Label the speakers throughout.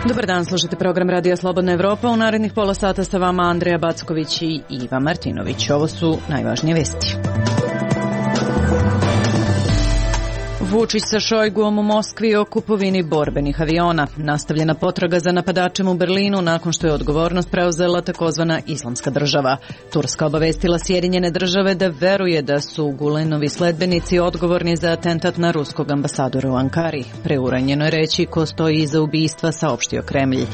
Speaker 1: Dobar dan, slušate program Radija Slobodna Evropa. U narednih pola sata sa vama Andreja Backović i Iva Martinović. Ovo su najvažnije vesti. Vučić sa Šojguom u Moskvi o kupovini borbenih aviona. Nastavljena potraga za napadačem u Berlinu nakon što je odgovornost preuzela takozvana Islamska država. Turska obavestila Sjedinjene države da veruje da su Gulenovi sledbenici odgovorni za atentat na ruskog ambasadora u Ankari. Preuranjeno je reći ko stoji iza ubistva, saopštio Kremlj.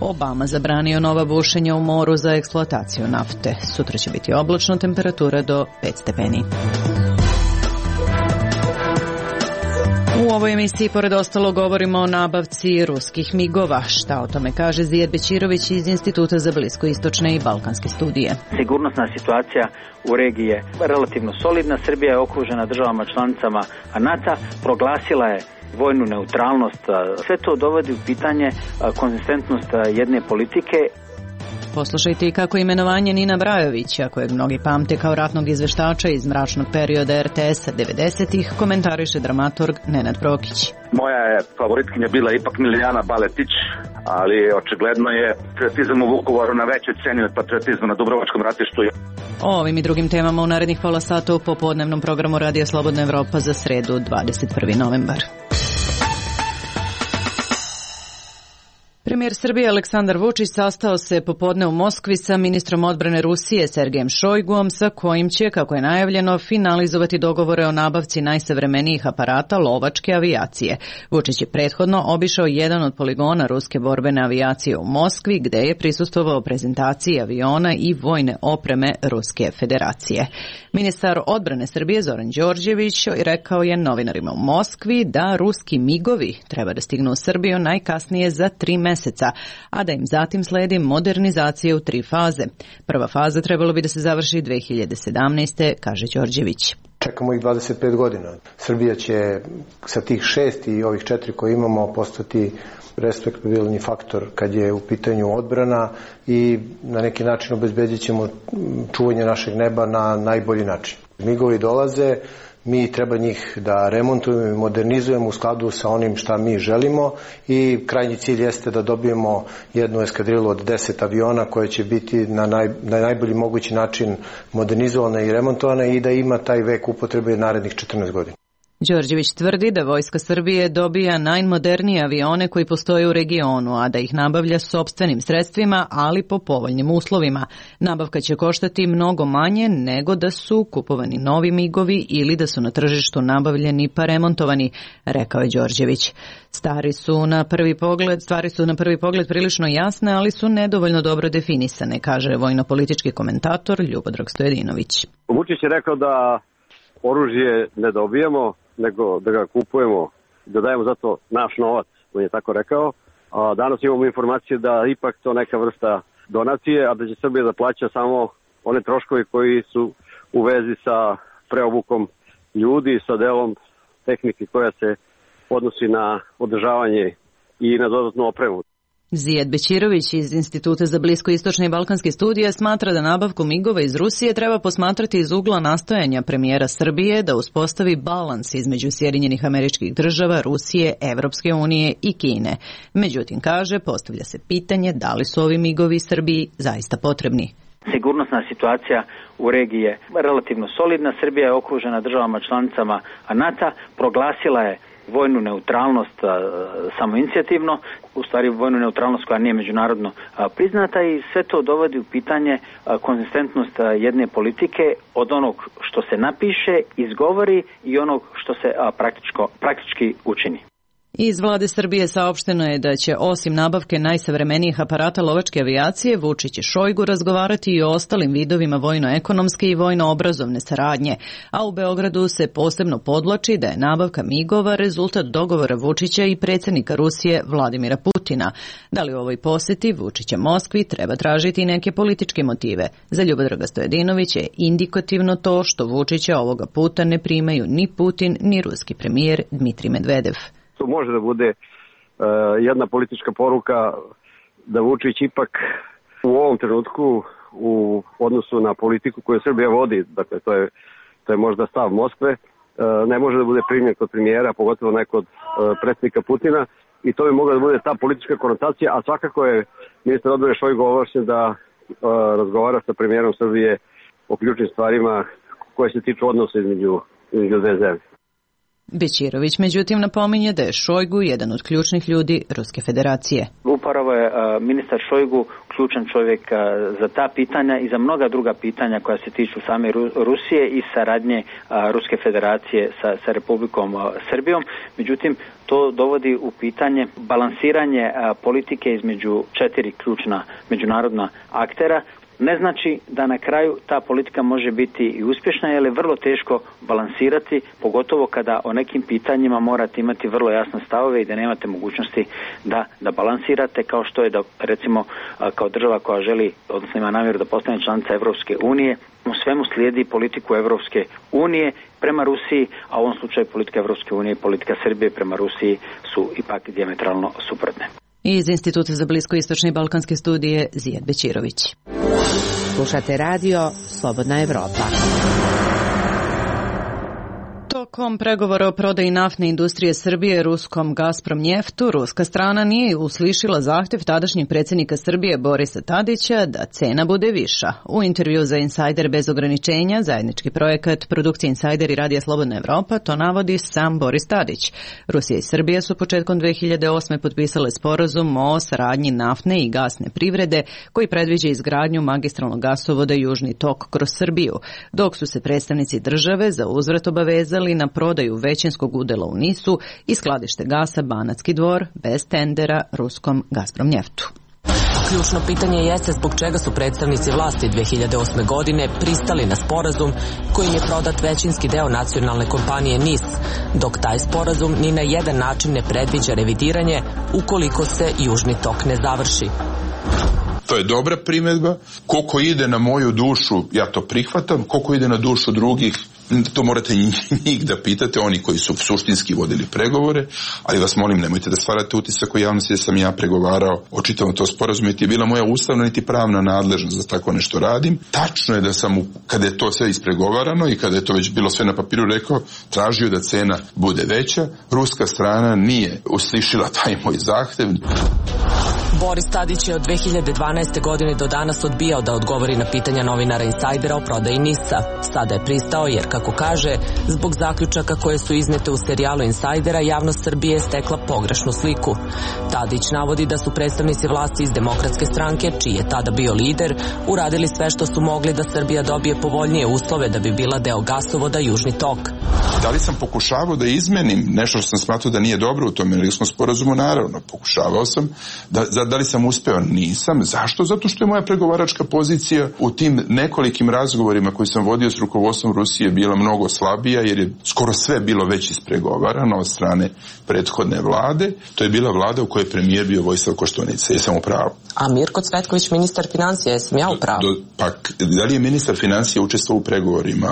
Speaker 1: Obama zabranio nova bušenja u moru za eksploataciju nafte. Sutra će biti oblačno, temperatura do 5 stepeni. U ovoj emisiji, pored ostalo, govorimo o nabavci ruskih migova. Šta o tome kaže Zijed Bećirović iz Instituta za bliskoistočne i balkanske studije.
Speaker 2: Sigurnosna situacija u regiji je relativno solidna. Srbija je okružena državama članicama NATO, proglasila je vojnu neutralnost. Sve to dovodi u pitanje konzistentnost jedne politike.
Speaker 1: Poslušajte i kako imenovanje Nina Brajovića, kojeg mnogi pamte kao ratnog izveštača iz mračnog perioda RTS-a 90-ih, komentariše dramaturg Nenad Prokić.
Speaker 3: Moja je favoritkinja bila ipak Milijana Baletić, ali očigledno je patriotizam u Vukovaru na većoj ceni od patriotizma na Dubrovačkom ratištu.
Speaker 1: O ovim i drugim temama u narednih pola sata u popodnevnom programu Radija Slobodna Evropa za sredu 21. novembar. Premijer Srbije Aleksandar Vučić sastao se popodne u Moskvi sa ministrom odbrane Rusije Sergejem Šojguom, sa kojim će, kako je najavljeno, finalizovati dogovore o nabavci najsavremenijih aparata lovačke avijacije. Vučić je prethodno obišao jedan od poligona ruske borbene avijacije u Moskvi, gde je prisustvovao prezentaciji aviona i vojne opreme Ruske federacije. Ministar odbrane Srbije Zoran Đorđević rekao je novinarima u Moskvi da ruski migovi treba da stignu u Srbiju najkasnije za 3 meseca, a da im zatim sledi modernizacija u 3 faze. Prva faza trebalo bi da se završi 2017. kaže Đorđević.
Speaker 4: Čekamo ih 25 godina. Srbija će sa tih 6 i ovih 4 koje imamo postati respektabilni faktor kad je u pitanju odbrana i na neki način obezbedit ćemo čuvanje našeg neba na najbolji način. Migovi dolaze, mi treba njih da remontujemo i modernizujemo u skladu sa onim šta mi želimo i krajnji cilj jeste da dobijemo jednu eskadrilu od 10 aviona koje će biti na najbolji mogući način modernizovana i remontovana i da ima taj vek upotrebe narednih 14 godina.
Speaker 1: Đorđević tvrdi da Vojska Srbije dobija najmodernije avione koji postoje u regionu, a da ih nabavlja sopstvenim sredstvima, ali po povoljnim uslovima. Nabavka će koštati mnogo manje nego da su kupovani novi migovi ili da su na tržištu nabavljeni pa remontovani, rekao je Đorđević. Stvari su na prvi pogled prilično jasne, ali su nedovoljno dobro definisane, kaže vojno-politički komentator Ljubodrag Stojadinović.
Speaker 5: Vučić je rekao da oružje ne dobijemo, nego da ga kupujemo, da dajemo zato naš novac, on je tako rekao. A danas imamo informacije da ipak to neka vrsta donacije, a da će Srbija da plaća samo one troškovi koji su u vezi sa preobukom ljudi, sa delom tehnike koja se odnosi na održavanje i na dodatnu opremu.
Speaker 1: Zijed Bećirović iz Instituta za bliskoistočne i balkanske studije smatra da nabavku migova iz Rusije treba posmatrati iz ugla nastojanja premijera Srbije da uspostavi balans između Sjedinjenih Američkih Država, Rusije, Evropske unije i Kine. Međutim, kaže, postavlja se pitanje da li su ovi migovi Srbiji zaista potrebni.
Speaker 2: Sigurnosna situacija u regiji je relativno solidna. Srbija je okružena državama članicama NATO, proglasila je vojnu neutralnost samoinicijativno, u stvari vojnu neutralnost koja nije međunarodno priznata i sve to dovodi u pitanje konzistentnost jedne politike od onog što se napiše, izgovori i onog što se praktički učini.
Speaker 1: Iz vlade Srbije saopšteno je da će osim nabavke najsavremenijih aparata lovačke avijacije Vučić i Šojgu razgovarati i o ostalim vidovima vojno-ekonomske i vojno-obrazovne saradnje, a u Beogradu se posebno podvlači da je nabavka migova rezultat dogovora Vučića i predsjednika Rusije Vladimira Putina. Da li u ovoj poseti Vučića Moskvi treba tražiti i neke političke motive? Za Ljubodraga Stojadinovića je indikativno to što Vučića ovoga puta ne primaju ni Putin ni ruski premijer Dmitrij Medvedev.
Speaker 5: To može da bude jedna politička poruka da Vučić ipak U ovom trenutku u odnosu na politiku koju Srbija vodi, dakle to je možda stav Moskve, ne može da bude primljen kod premijera, pogotovo ne kod predsjednika Putina, i to bi mogla da bude ta politička konotacija, a svakako je ministar odbrane Šojgu ovlašćen da razgovara sa premijerom Srbije o ključnim stvarima koje se tiču odnosa između dve zemlje.
Speaker 1: Bećirović međutim napominje da je Šojgu jedan od ključnih ljudi Ruske federacije.
Speaker 2: Upravo je ministar Šojgu ključan čovjek za ta pitanja i za mnoga druga pitanja koja se tiču same Rusije i saradnje Ruske federacije sa Republikom Srbijom. Međutim, to dovodi u pitanje balansiranje politike između 4 ključna međunarodna aktera. Ne znači da na kraju ta politika može biti i uspješna, jer je vrlo teško balansirati, pogotovo kada o nekim pitanjima morate imati vrlo jasne stavove i da nemate mogućnosti da balansirate, kao što je da recimo kao država koja želi, odnosno ima namjeru da postane članica Evropske unije, u svemu slijedi politiku Evropske unije prema Rusiji, a u ovom slučaju politika Evropske unije i politika Srbije prema Rusiji su ipak dijametralno suprotne.
Speaker 1: Iz Instituta za bliskoistočne i balkanske studije Zijad Bećirović.
Speaker 6: Slušate radio Slobodna Evropa.
Speaker 1: Tokom pregovora o prodaji naftne industrije Srbije ruskom Gazprom Njeftu, ruska strana nije uslišila zahtjev tadašnjeg predsjednika Srbije Borisa Tadića da cena bude viša. U intervju za Insider bez ograničenja, zajednički projekat produkcije Insider i Radija Slobodna Evropa, to navodi sam Boris Tadić. Rusija i Srbija su početkom 2008. potpisale sporazum o saradnji naftne i gasne privrede koji predviđa izgradnju magistralnog gasovoda Južni tok kroz Srbiju, dok su se predstavnici države za uzvrat obavezali na prodaju većinskog udjela u NIS-u i skladište gasa Banatski Dvor bez tendera ruskom Gazprom Njeftu.
Speaker 7: Ključno pitanje jeste zbog čega su predstavnici vlasti 2008. godine pristali na sporazum kojim je prodat većinski deo nacionalne kompanije NIS, dok taj sporazum ni na jedan način ne predviđa revidiranje ukoliko se Južni tok ne završi.
Speaker 8: To je dobra primjedba. Koliko ide na moju dušu, ja to prihvatam. Koliko ide na dušu drugih, to morate njih da pitate, oni koji su suštinski vodili pregovore, ali vas molim, nemojte da stvarate utisak u javnosti da sam ja pregovarao o čitavom to sporazumu, niti je bila moja ustavna niti pravna nadležnost da tako nešto radim. Tačno je da sam, kada je to sve ispregovarano i kada je to već bilo sve na papiru, rekao, tražio da cena bude veća. Ruska strana nije uslišila taj moj zahtev.
Speaker 7: Boris Tadić je od 2012. godine do danas odbijao da odgovori na pitanja novinara Insajdera o prodaji NIS-a. Sada je pristao jer, kako kaže, zbog zaključaka koje su iznete u serijalu Insajdera, javnost Srbije je stekla pogrešnu sliku. Tadić navodi da su predstavnici vlasti iz Demokratske stranke, čiji je tada bio lider, uradili sve što su mogli da Srbija dobije povoljnije uslove da bi bila deo gasovoda Južni tok.
Speaker 8: Da li sam pokušavao da izmenim nešto što sam smatrao da nije dobro u tom energetskom sporazumu? Naravno, pokušavao sam. Da li sam uspeo? Nisam. Zašto? Zato što je moja pregovaračka pozicija u tim nekolikim razgovorima koji sam vodio s rukovodstvom Rusije bila mnogo slabija, jer je skoro sve bilo već ispregovarano od strane prethodne vlade. To je bila vlada u kojoj je premijer bio Vojislav Koštunica. Jesam u pravu?
Speaker 7: A Mirko Cvetković, ministar financija, jesam ja u pravu?
Speaker 8: Pa, da li je ministar financija učestvovao u pregovorima?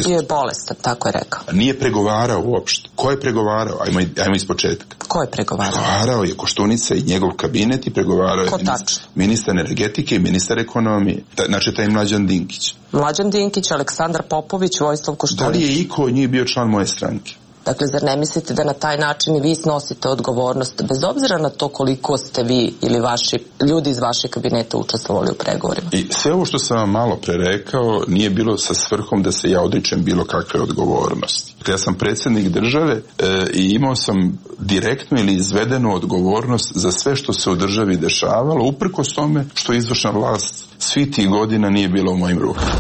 Speaker 7: Bio je bolestan, tako je rekao.
Speaker 8: Nije pregovarao uopšte. Ko je pregovarao? Ajmo iz početka.
Speaker 7: Ko je pregovarao?
Speaker 8: Pregovarao je Koštunica i njegov kabinet i pregovarao je ministar energetike i ministar ekonomije. Znači taj Mlađan Dinkić.
Speaker 7: Mlađan Dinkić, Aleksandar Popović, Vojislav Koštunica.
Speaker 8: Da li je iko od njih bio član moje stranke?
Speaker 7: Dakle, zar ne mislite da na taj način i vi snosite odgovornost, bez obzira na to koliko ste vi ili vaši ljudi iz vašeg kabineta učestvovali u pregovorima?
Speaker 8: I sve ovo što sam vam malo pre rekao nije bilo sa svrhom da se ja odričem bilo kakve odgovornosti. Ja sam predsjednik države i imao sam direktnu ili izvedenu odgovornost za sve što se u državi dešavalo, uprkos tome što izvršna vlast svi tih godina nije bila u mojim rukama.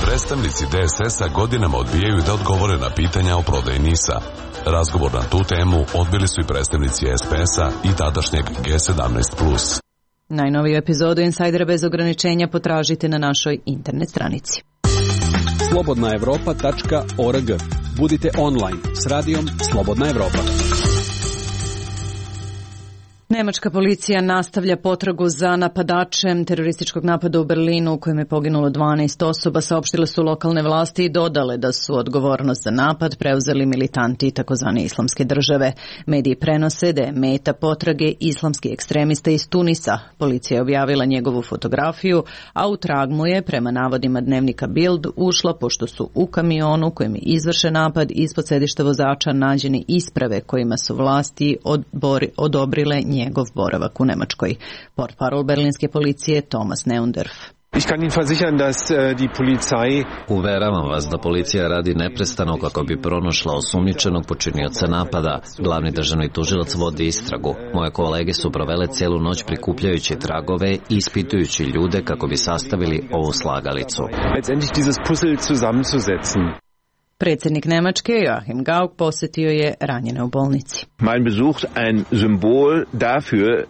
Speaker 9: Predstavnici DSS-a godinama odbijaju da odgovore na pitanja o prodaji NIS-a. Razgovor na tu temu odbili su i predstavnici SPS-a i tadašnjeg G17+.
Speaker 1: Najnoviju epizodu Insajdera bez ograničenja potražite na našoj internet stranici.
Speaker 10: slobodnaevropa.org. Budite online s radijom Slobodna Evropa.
Speaker 1: Nemačka policija nastavlja potragu za napadačem terorističkog napada u Berlinu u kojem je poginulo 12 osoba, saopštile su lokalne vlasti i dodale da su odgovornost za napad preuzeli militanti takozvane islamske države. Mediji prenose da je meta potrage islamski ekstremista iz Tunisa. Policija je objavila njegovu fotografiju, a u trag mu je, prema navodima dnevnika Bild, ušla pošto su u kamionu kojem je izvršen napad ispod sedišta vozača nađeni isprave kojima su vlasti odobrile njegov boravak u Nemačkoj. Portparol berlinske policije Thomas Neundorf.
Speaker 10: Uveravam vas da policija radi neprestano kako bi pronašla osumnjičenog počinioca napada. Glavni državni tužilac vodi istragu. Moje kolege su provele cijelu noć prikupljajući tragove i ispitujući ljude kako bi sastavili ovu slagalicu.
Speaker 1: Predsjednik Nemačke Joachim Gauck posjetio je ranjene u bolnici.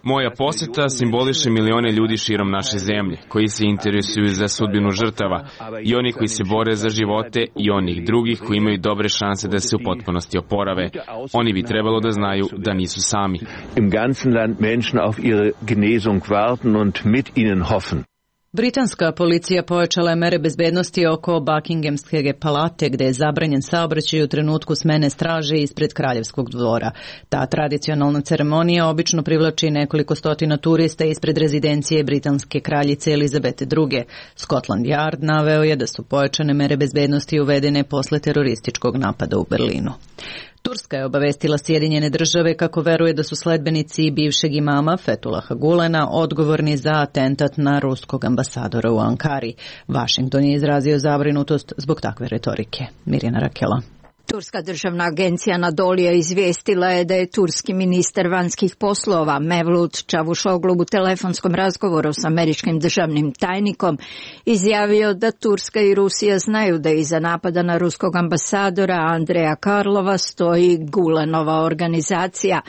Speaker 11: Moja posjeta simboliše milione ljudi širom naše zemlje koji se interesuju za sudbinu žrtava i oni koji se bore za živote i onih drugih koji imaju dobre šanse da se u potpunosti oporave. Oni bi trebalo da znaju da nisu sami.
Speaker 12: Im ganzen Land Menschen auf ihre Genesung warten und mit ihnen hoffen.
Speaker 1: Britanska policija pojačala je mere bezbednosti oko Buckinghamske palate gde je zabranjen saobraćaj u trenutku smene straže ispred kraljevskog dvora. Ta tradicionalna ceremonija obično privlači nekoliko stotina turista ispred rezidencije britanske kraljice Elizabete II. Scotland Yard naveo je da su pojačane mere bezbednosti uvedene posle terorističkog napada u Berlinu. Turska je obavestila Sjedinjene države kako veruje da su sledbenici bivšeg imama Fethullaha Gulena odgovorni za atentat na ruskog ambasadora u Ankari. Washington je izrazio zabrinutost zbog takve retorike. Mirjana Rakela.
Speaker 13: Turska državna agencija Anadolija izvijestila je da je turski ministar vanjskih poslova Mevlut Čavuşoglu u telefonskom razgovoru s američkim državnim tajnikom izjavio da Turska i Rusija znaju da iza napada na ruskog ambasadora Andreja Karlova stoji Gulenova organizacija.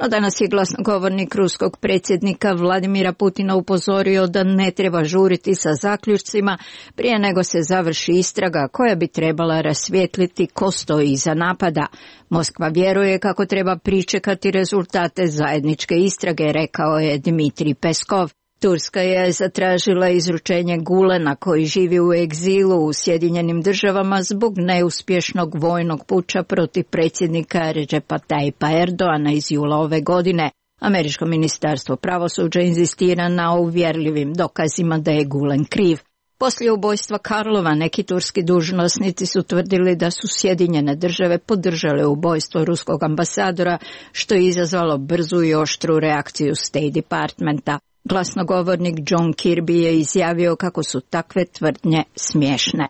Speaker 13: No danas je glasnogovornik ruskog predsjednika Vladimira Putina upozorio da ne treba žuriti sa zaključcima prije nego se završi istraga koja bi trebala rasvijetliti ko stoji iza napada. Moskva vjeruje kako treba pričekati rezultate zajedničke istrage, rekao je Dmitrij Peskov. Turska je zatražila izručenje Gulena koji živi u egzilu u Sjedinjenim državama zbog neuspješnog vojnog puča protiv predsjednika Recepa Tayyipa Erdoana iz jula ove godine. Američko ministarstvo pravosuđa inzistira na uvjerljivim dokazima da je Gulen kriv. Poslije ubojstva Karlova neki turski dužnosnici su tvrdili da su Sjedinjene države podržale ubojstvo ruskog ambasadora, što je izazvalo brzu i oštru reakciju State Departmenta. Glasnogovornik John Kirby je izjavio kako su takve tvrdnje smiješne.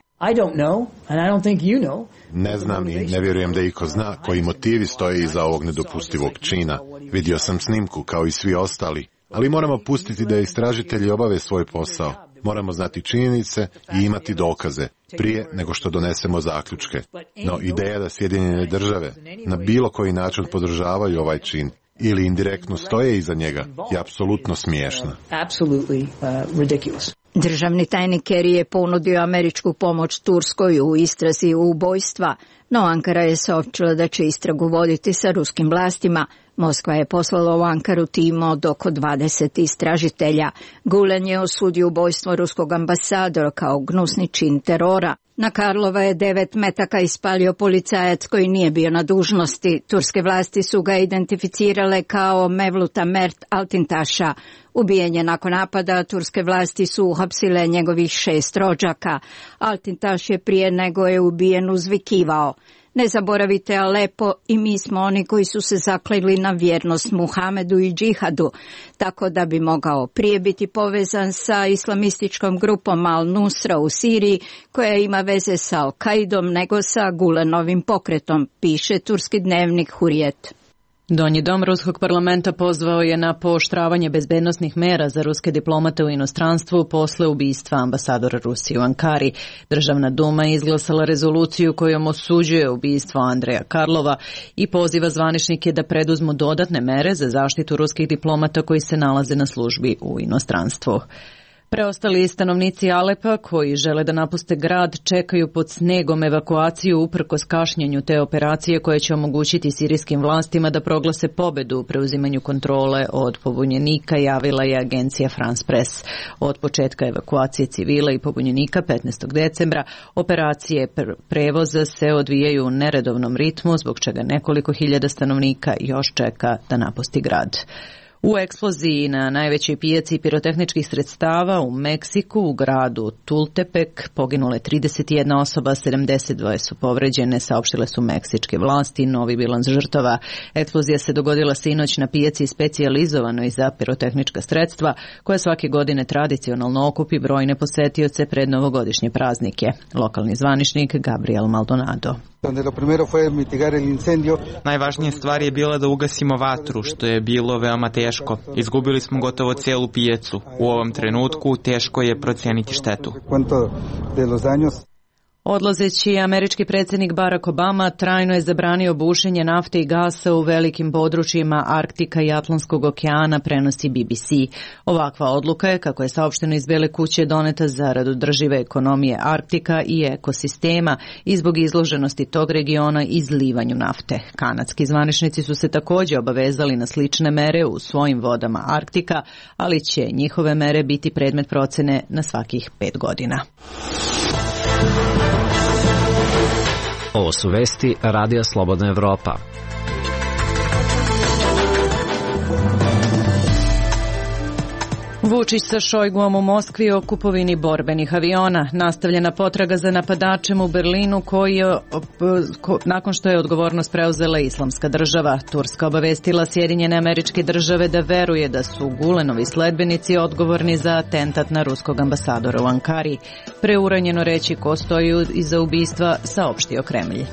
Speaker 14: Ne znam i ne vjerujem da iko zna koji motivi stoje iza ovog nedopustivog čina. Vidio sam snimku kao i svi ostali, ali moramo pustiti da istražitelji obave svoj posao. Moramo znati činjenice i imati dokaze prije nego što donesemo zaključke. No ideja da Sjedinjene države na bilo koji način podržavaju ovaj čin ili indirektno stoje iza njega je apsolutno smiješna.
Speaker 13: Državni tajnik Kerry je ponudio američku pomoć Turskoj u istrazi ubojstva, no Ankara je saopćila da će istragu voditi sa ruskim vlastima. Moskva je poslala u Ankaru tim od oko 20 istražitelja. Gulen je osudio ubojstvo ruskog ambasadora kao gnusni čin terora. Na Karlova je 9 metaka ispalio policajac koji nije bio na dužnosti. Turske vlasti su ga identificirale kao Mevluta Mert Altintaša. Ubijen je nakon napada, turske vlasti su uhapsile njegovih 6 rođaka. Altintaš je prije nego je ubijen uzvikivao: "Ne zaboravite Alepo i mi smo oni koji su se zakleli na vjernost Muhamedu i džihadu", tako da bi mogao prije biti povezan sa islamističkom grupom Al-Nusra u Siriji, koja ima veze sa Al-Kaidom nego sa Gulenovim pokretom, piše turski dnevnik Hurrijet.
Speaker 1: Donji dom ruskog parlamenta pozvao je na pooštravanje bezbednosnih mera za ruske diplomate u inostranstvu posle ubistva ambasadora Rusije u Ankari. Državna duma je izglasala rezoluciju kojom osuđuje ubistvo Andreja Karlova i poziva zvaničnike da preduzmu dodatne mere za zaštitu ruskih diplomata koji se nalaze na službi u inostranstvu. Preostali stanovnici Alepa koji žele da napuste grad čekaju pod snegom evakuaciju uprkos kašnjenju te operacije koje će omogućiti sirijskim vlastima da proglase pobedu u preuzimanju kontrole od pobunjenika, javila je agencija France Press. Od početka evakuacije civila i pobunjenika 15. decembra operacije prevoza se odvijaju u neredovnom ritmu, zbog čega nekoliko hiljada stanovnika još čeka da napusti grad. U eksploziji na najvećoj pijaci pirotehničkih sredstava u Meksiku, u gradu Tultepek, poginule 31 osoba, 72 su povređene, saopštile su meksičke vlasti. Novi bilans žrtava. Eksplozija se dogodila sinoć na pijaci specijalizovanoj za pirotehnička sredstva, koja svake godine tradicionalno okupi brojne posetioce pred novogodišnje praznike. Lokalni zvaničnik Gabriel Maldonado.
Speaker 15: Najvažnija stvar je bila da ugasimo vatru, što je bilo veoma teško. Izgubili smo gotovo celu pijacu. U ovom trenutku teško je proceniti štetu.
Speaker 1: Odlazeći američki predsjednik Barack Obama trajno je zabranio bušenje nafte i gasa u velikim područjima Arktika i Atlantskog okeana, prenosi BBC. Ovakva odluka je, kako je saopšteno iz Bele kuće, doneta zarad održive ekonomije Arktika i ekosistema i zbog izloženosti tog regiona izlivanju nafte. Kanadski zvaničnici su se također obavezali na slične mere u svojim vodama Arktika, ali će njihove mere biti predmet procene na svakih 5 godina.
Speaker 10: Ovo su vesti Radija Slobodna Evropa.
Speaker 1: Vučić sa Šojguom u Moskvi o kupovini borbenih aviona. Nastavljena potraga za napadačem u Berlinu nakon što je odgovornost preuzela Islamska država. Turska obavestila Sjedinjene Američke Države da veruje da su Gulenovi sledbenici odgovorni za atentat na ruskog ambasadora u Ankari. Preuranjeno reći ko stoji iza ubistva, saopštio Kremlj.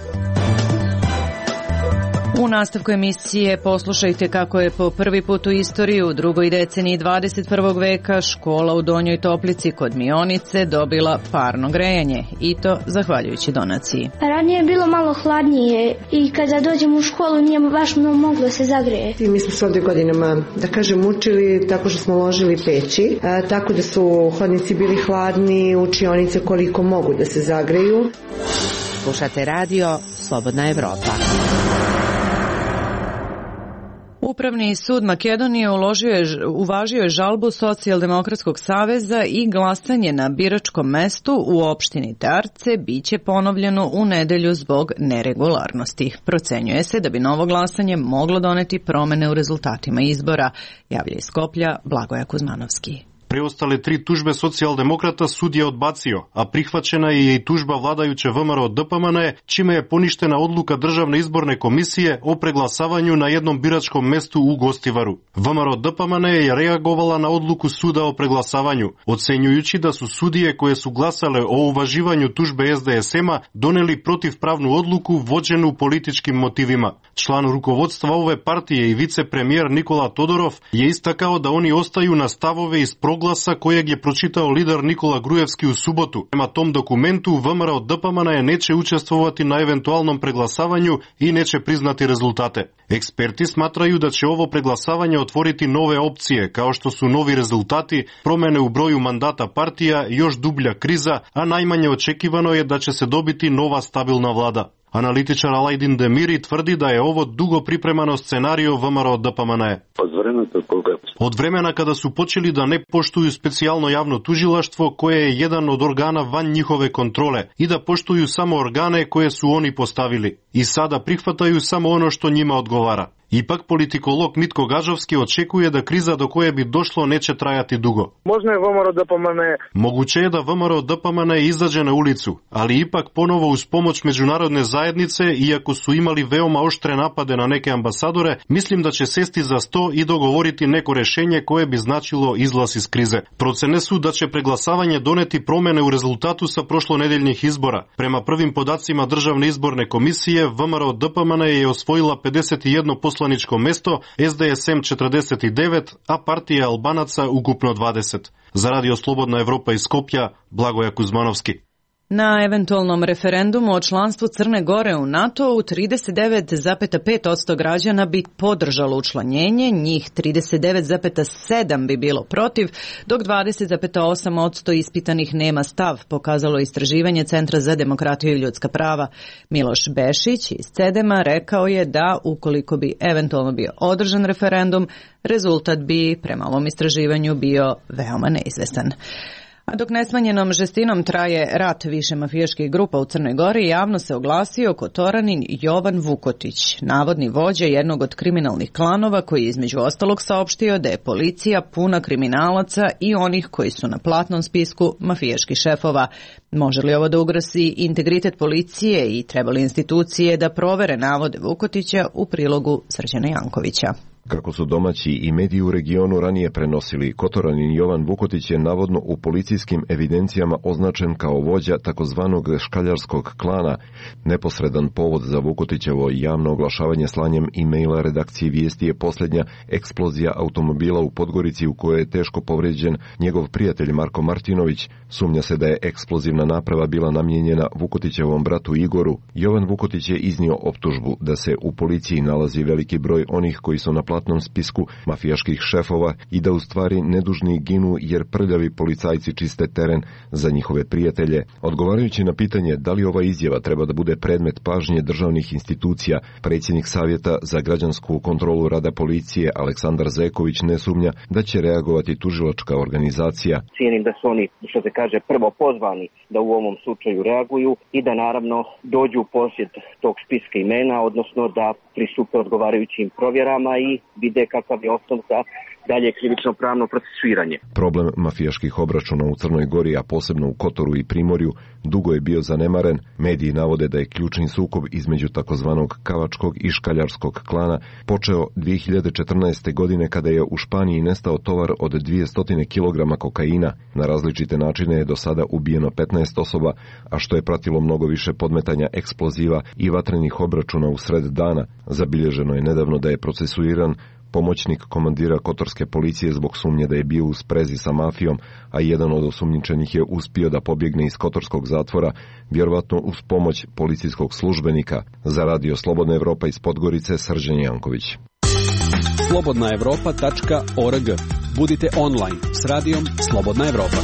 Speaker 1: U nastavku emisije poslušajte kako je po prvi put u istoriji u drugoj deceniji 21. veka škola u Donjoj Toplici kod Mionice dobila parno grejanje, i to zahvaljujući donaciji.
Speaker 16: Ranije je bilo malo hladnije i kada dođemo u školu nije baš moglo se zagrejeti.
Speaker 17: Mi smo se ovdje godinama, da kažem, učili tako što smo ložili peći, tako da su hodnici bili hladni, učionice koliko mogu da se zagreju.
Speaker 6: Slušate radio Slobodna Evropa.
Speaker 1: Upravni sud Makedonije uvažio je žalbu Socijaldemokratskog saveza i glasanje na biračkom mestu u opštini Tarce biće ponovljeno u nedelju zbog neregularnosti. Procenjuje se da bi novo glasanje moglo doneti promene u rezultatima izbora, javlja iz Skoplja Blagoja Kuzmanovski.
Speaker 18: Preostale 3 tužbe socijaldemokrata sud je odbacio, a prihvaćena je i tužba vladajuće VMRO DPMN, čime je poništena odluka Državne izborne komisije o preglasavanju na jednom biračkom mestu u Gostivaru. VMRO DPMN je reagovala na odluku suda o preglasavanju, ocenjujući da su sudije koje su glasale o uvaživanju tužbe SDSM-a doneli protivpravnu odluku vođenu političkim motivima. Član rukovodstva ove partije i vicepremijer Nikola Todorov je istakao da oni ostaju na stavove iz proglasa kojeg je pročitao lider Nikola Grujevski u subotu. Prema tom dokumentu VMRO DPMN neće učestvovati na eventualnom preglasavanju i neće priznati rezultate. Eksperti smatraju da će ovo preglasavanje otvoriti nove opcije, kao što su novi rezultati, promene u broju mandata partija, još dublja kriza, a najmanje očekivano je da će se dobiti nova stabilna vlada. Analitičar Alajdin Demiri tvrdi da je ovo dugo pripremano scenario VMRO DPMN. Od vremena kada su počeli da ne poštuju specijalno javno tužilaštvo koje je jedan od organa van njihove kontrole i da poštuju samo organe koje su oni postavili i sada prihvataju samo ono što njima odgovara. Ipak politikolog Mitko Gažovski očekuje da kriza do koje bi došlo neće trajati dugo. Moguće je da VMRO DPMN izađe na ulicu, ali ipak ponovo uz pomoć međunarodne zajednice, iako su imali veoma oštre napade na neke ambasadore, mislim da će sesti za sto i dogovoriti neko rešenje koje bi značilo izlaz iz krize. Procene su da će preglasavanje doneti promene u rezultatu sa prošlonedeljnih izbora. Prema prvim podacima Državne izborne komisije, VMRO DPMN je osvojila 51 poslaničko mesto, SDSM 49, a partija Albanaca ukupno 20. Za Radio Slobodna Evropa iz Skopja, Blagoja Kuzmanovski.
Speaker 1: Na eventualnom referendumu o članstvu Crne Gore u NATO-u 39,5% građana bi podržalo učlanjenje, njih 39,7% bi bilo protiv, dok 20,8% ispitanih nema stav, pokazalo istraživanje Centra za demokratiju i ljudska prava. Miloš Bešić iz CEDEM-a rekao je da ukoliko bi eventualno bio održan referendum, rezultat bi prema ovom istraživanju bio veoma neizvestan. A dok nesmanjenom žestinom traje rat više mafijaških grupa u Crnoj Gori, javno se oglasio Kotoranin Jovan Vukotić, navodni vođa jednog od kriminalnih klanova koji je između ostalog saopštio da je policija puna kriminalaca i onih koji su na platnom spisku mafijaških šefova. Može li ovo da ugrozi integritet policije i treba li institucije da provere navode Vukotića u prilogu Srđana Jankovića?
Speaker 19: Kako su domaći i mediji u regionu ranije prenosili, Kotoranin Jovan Vukotić je navodno u policijskim evidencijama označen kao vođa takozvanog škaljarskog klana. Neposredan povod za Vukotićevo javno oglašavanje slanjem e-maila redakciji Vijesti je posljednja eksplozija automobila u Podgorici u kojoj je teško povređen njegov prijatelj Marko Martinović. Sumnja se da je eksplozivna naprava bila namijenjena Vukotićevom bratu Igoru. Jovan Vukotić je iznio optužbu da se u policiji nalazi veliki broj onih koji su na platnom spisku mafijaških šefova i da u stvari nedužni ginu jer prljavi policajci čiste teren za njihove prijatelje. Odgovarajući na pitanje da li ova izjava treba da bude predmet pažnje državnih institucija, predsjednik Savjeta za građansku kontrolu rada policije Aleksandar Zeković ne sumnja da će reagovati tužilačka organizacija.
Speaker 20: Cijenim da su oni, što se kaže, prvo pozvani da u ovom slučaju reaguju i da naravno dođu u posjed tog spiska imena, odnosno da pristupe odgovarajućim provjerama i vide kakav je osnov za dalje krivično pravno procesuiranje.
Speaker 19: Problem mafijaških obračuna u Crnoj Gori, a posebno u Kotoru i Primorju, dugo je bio zanemaren. Mediji navode da je ključni sukob između takozvanog kavačkog i škaljarskog klana počeo 2014. godine kada je u Španiji nestao tovar od 200 kg kokaina. Na različite načine je do sada ubijeno 15 osoba, a što je pratilo mnogo više podmetanja eksploziva i vatrenih obračuna u sred dana. Zabilježeno je nedavno da je procesuiran pomoćnik komandira kotorske policije zbog sumnje da je bio u sprezi sa mafijom, a jedan od osumnjičenih je uspio da pobjegne iz kotorskog zatvora, vjerovatno uz pomoć policijskog službenika. Za Radio Slobodna Evropa iz Podgorice, Srđan Janković.
Speaker 21: slobodnaevropa.org. Budite online s radijom Slobodna Evropa.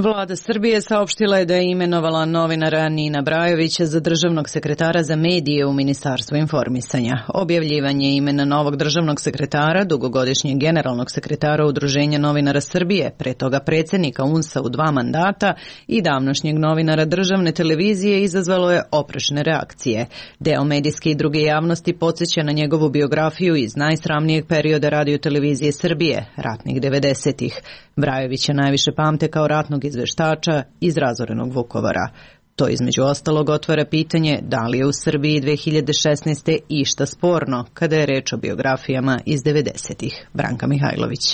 Speaker 1: Vlada Srbije saopštila je da je imenovala novinara Nina Brajovića za državnog sekretara za medije u Ministarstvu informisanja. Objavljivanje imena novog državnog sekretara, dugogodišnjeg generalnog sekretara Udruženja novinara Srbije, pre toga predsjednika UNS-a u 2 mandata i davnošnjeg novinara državne televizije izazvalo je oprešne reakcije. Deo medijske i druge javnosti podsjeća na njegovu biografiju iz najsramnijeg perioda radiotelevizije Srbije, ratnih 90-ih. Brajovića najviše pamte kao ratnog izveštača iz razorenog Vukovara. To između ostalog otvara pitanje da li je u Srbiji 2016. išta sporno kada je reč o biografijama iz 90-ih. Branka Mihajlović.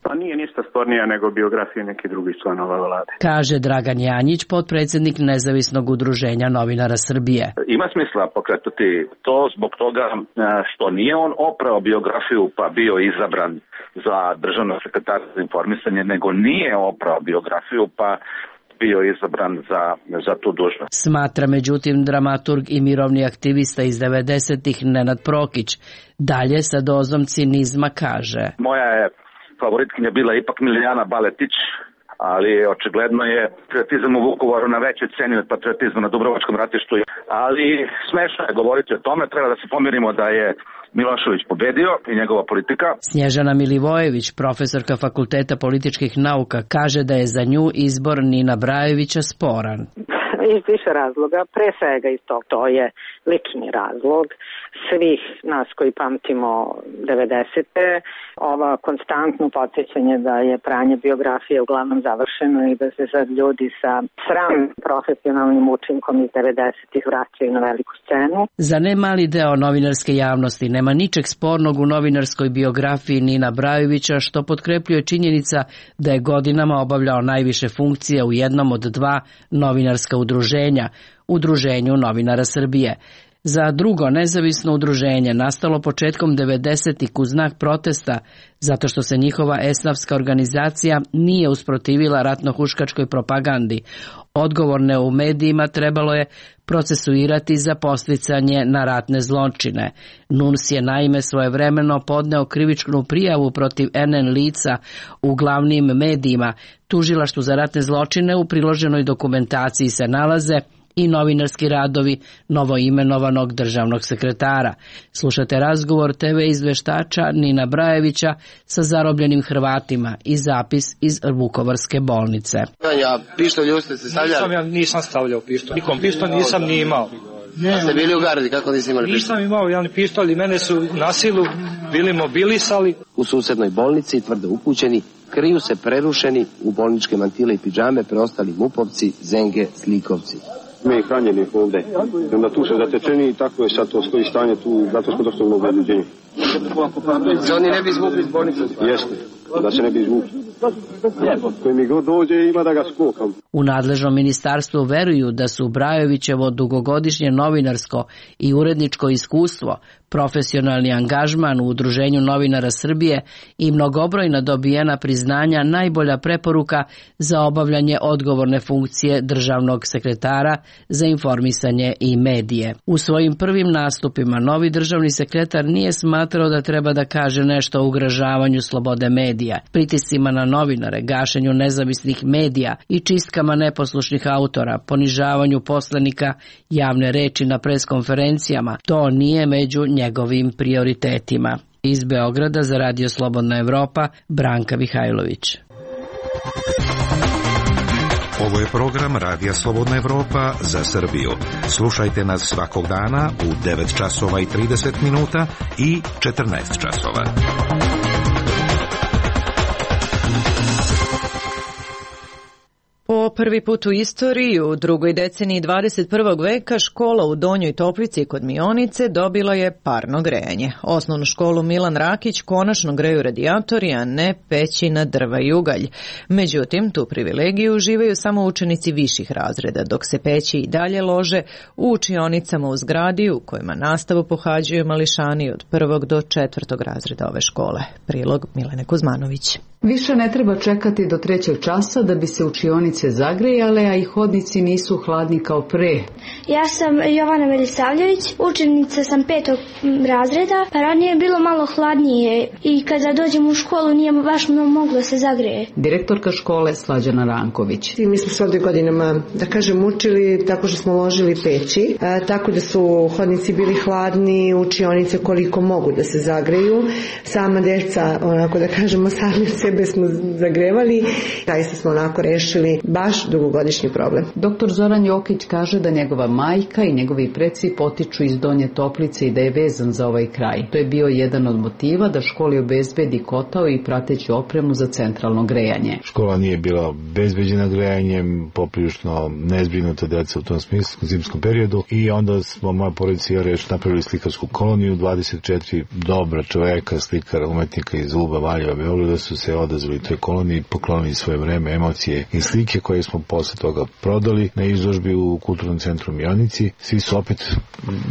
Speaker 22: Pa nije ništa spornija nego biografije nekih drugih članova vlade.
Speaker 23: Kaže Dragan Janjić, potpredsjednik Nezavisnog udruženja novinara Srbije.
Speaker 3: Ima smisla pokretati to zbog toga što nije on oprao biografiju pa bio izabran za državnog sekretara za informisanje, nego nije oprao biografiju pa bio izabran za tu dužnost.
Speaker 23: Smatra međutim dramaturg i mirovni aktivista iz 90-ih Nenad Prokić. Dalje sa dozom cinizma kaže.
Speaker 3: Moja je favoritkinja bila ipak Milijana Baletić, ali očigledno je patriotizam u Vukovaru na većoj ceni od patriotizma na Dubrovačkom ratištu. Ali smešno je govoriti o tome, treba da se pomirimo da je Milošević pobedio i njegova politika.
Speaker 23: Snježana Milivojević, profesorka Fakulteta političkih nauka, kaže da je za nju izbor Nina Brajovića sporan.
Speaker 24: Iz više razloga, pre svega iz tog, to je lični razlog svih nas koji pamtimo 90-te, ova konstantno podsjećanje da je pranje biografije uglavnom završeno i da se sad ljudi sa sram profesionalnim učinkom iz 90-ih vraćaju na veliku scenu.
Speaker 23: Za ne mali deo novinarske javnosti nema ničeg spornog u novinarskoj biografiji Nina Brajovića, što potkrepljuje činjenica da je godinama obavljao najviše funkcija u jednom od 2 novinarska udruženja, Udruženju novinara Srbije. za drugo nezavisno udruženje nastalo početkom 90-ih u znak protesta zato što se njihova esnafska organizacija nije usprotivila ratno-huškačkoj propagandi. Odgovorne u medijima trebalo je procesuirati za podsticanje na ratne zločine. NUNS je naime svojevremeno podneo krivičnu prijavu protiv NN lica u glavnim medijima. Tužilaštvu za ratne zločine u priloženoj dokumentaciji se nalaze i novinarski radovi novoimenovanog državnog sekretara. Slušate razgovor TV izveštača Nina Brajevića sa zarobljenim Hrvatima i zapis iz Vukovarske bolnice.
Speaker 2: Pištolj ste se stavljali?
Speaker 4: Ja nisam stavljao pištolj. Nikom pištolj nisam ni imao.
Speaker 2: Ste bili u gardi, kako nisi imali pištolj?
Speaker 4: Nisam imao jedan pištolj i mene su na silu bili mobilisali.
Speaker 2: U susednoj bolnici, tvrdo upućeni, kriju se prerušeni u bolničke mantile i pidžame preostali MUP-ovci, Zenge, Slikovci.
Speaker 5: Mi hranjeni ovde. Onda tu se zatečeni i tako je sad to stoji stanje tu, zato smo došli u obezbeđenju.
Speaker 2: Se oni ne bi izvukli iz bolnice?
Speaker 5: Jeste, da se ne bi izvukli. Koji mi god dođe ima da ga skokam.
Speaker 23: U nadležnom ministarstvu veruju da su Brajovićevo dugogodišnje novinarsko i uredničko iskustvo, profesionalni angažman u Udruženju novinara Srbije i mnogobrojna dobijena priznanja najbolja preporuka za obavljanje odgovorne funkcije državnog sekretara za informisanje i medije. U svojim prvim nastupima novi državni sekretar nije smatrao da treba da kaže nešto o ugrožavanju slobode medija, pritiscima na novinare, gašenju nezavisnih medija i čistkama neposlušnih autora, ponižavanju poslanika, javne reči na preskonferencijama. To nije među njegovim prioritetima. Iz Beograda za Radio Slobodna Evropa, Branka Mihajlović.
Speaker 7: Ovo je program Radija Slobodna Evropa za Srbiju. Slušajte nas svakog dana u 9 časova i 30 minuta i 14 časova.
Speaker 1: Po prvi put u istoriji u drugoj deceniji 21. veka škola u Donjoj Toplici kod Mionice dobila je parno grejanje. Osnovnu školu Milan Rakić konačno greju radijatori, a ne peći na drva i ugalj. Međutim, tu privilegiju uživaju samo učenici viših razreda, dok se peći i dalje lože u učionicama u zgradi u kojima nastavu pohađaju mališani od 1. do 4. razreda ove škole. Prilog Milene Kuzmanović.
Speaker 25: Više ne treba čekati do 3. časa da bi se učionice zagrejale, a i hodnici nisu hladni kao pre.
Speaker 16: Ja sam Jovana Milisavljević, učenica sam 5. razreda, pa ranije je bilo malo hladnije i kada dođem u školu nije baš moglo se zagreje.
Speaker 25: Direktorka škole Slađana Ranković.
Speaker 17: Mi smo se ovdje godinama, da kažem, učili tako što smo ložili peći, tako da su hodnici bili hladni, učionice koliko mogu da se zagreju. Sama deca, onako da kažemo, sami sebe smo zagrevali. Zaista smo onako rešili baš dugogodišnji problem.
Speaker 25: Doktor Zoran Jokić kaže da njegova majka i njegovi preci potiču iz Donje Toplice i da je vezan za ovaj kraj. To je bio jedan od motiva da školi obezbedi kotao i prateću opremu za centralno grejanje.
Speaker 26: Škola nije bila obezbeđena grejanjem, poprilično nezbrinuta deca u tom smislu u zimskom periodu i onda smo moja porodica i ja napravili slikarsku koloniju, 24 dobra čoveka, slikara, umetnika iz Uba, Valjeva, Beograda su se odazvali toj koloniji, poklonili svoje vreme, emocije i slike koje smo posle toga prodali na izložbi u Kulturnom centru Mionici. Svi su opet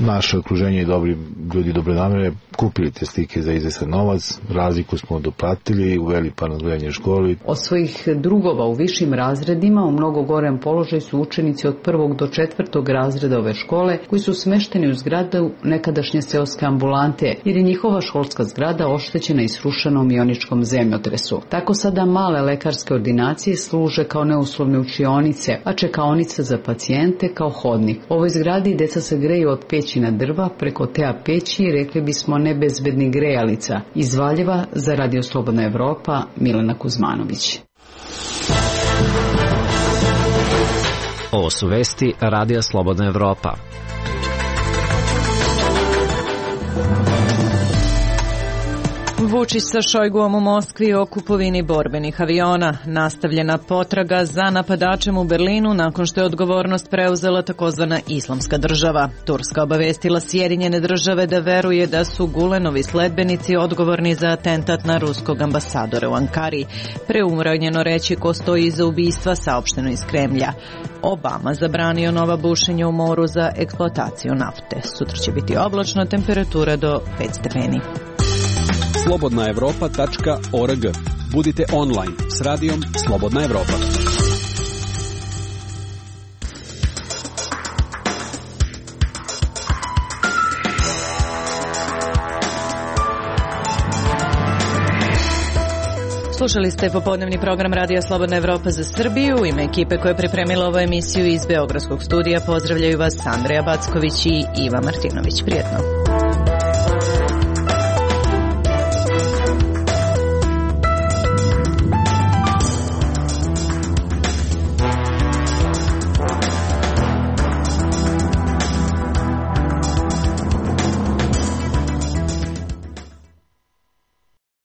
Speaker 26: naše okruženje i dobri ljudi dobre namere kupili te slike za izvestan novac, razliku smo doplatili, uveli parno grejanje školi.
Speaker 25: Od svojih drugova u višim razredima u mnogo gorem položaju su učenici od 1. do 4. razreda ove škole koji su smešteni u zgradu nekadašnje seoske ambulante jer je njihova školska zgrada oštećena i srušena u mioničkom zemljotresu. Tako sada male lekarske ordinacije služe kao neuslovne učionice, a čekaonica za pacijente kao hodnik. U ovoj zgradi deca se greju od peći na drva, preko tea peći, rekli bismo nebezbednih grejalica. Iz Valjeva za Radio Slobodna Evropa, Milena Kuzmanović.
Speaker 10: Ovo su vesti Radija Slobodna Evropa.
Speaker 1: Vučić sa Šojguom u Moskvi o kupovini borbenih aviona. Nastavljena potraga za napadačem u Berlinu nakon što je odgovornost preuzela takozvana Islamska država. Turska obavestila Sjedinjene države da veruje da su Gulenovi sledbenici odgovorni za atentat na ruskog ambasadora u Ankari. Preuranjeno reći ko stoji iza ubistva, saopšteno iz Kremlja. Obama zabranio nova bušenja u moru za eksploataciju nafte. Sutra će biti oblačno, temperatura do 5 stepeni.
Speaker 21: slobodnaevropa.org. Budite online s radijom Slobodna Evropa.
Speaker 1: Slušali ste popodnevni program Radija Slobodna Evropa za Srbiju. U ime ekipe koja je pripremila ovu emisiju iz Beogradskog studija pozdravljaju vas Andreja Backović i Iva Martinović. Prijetno.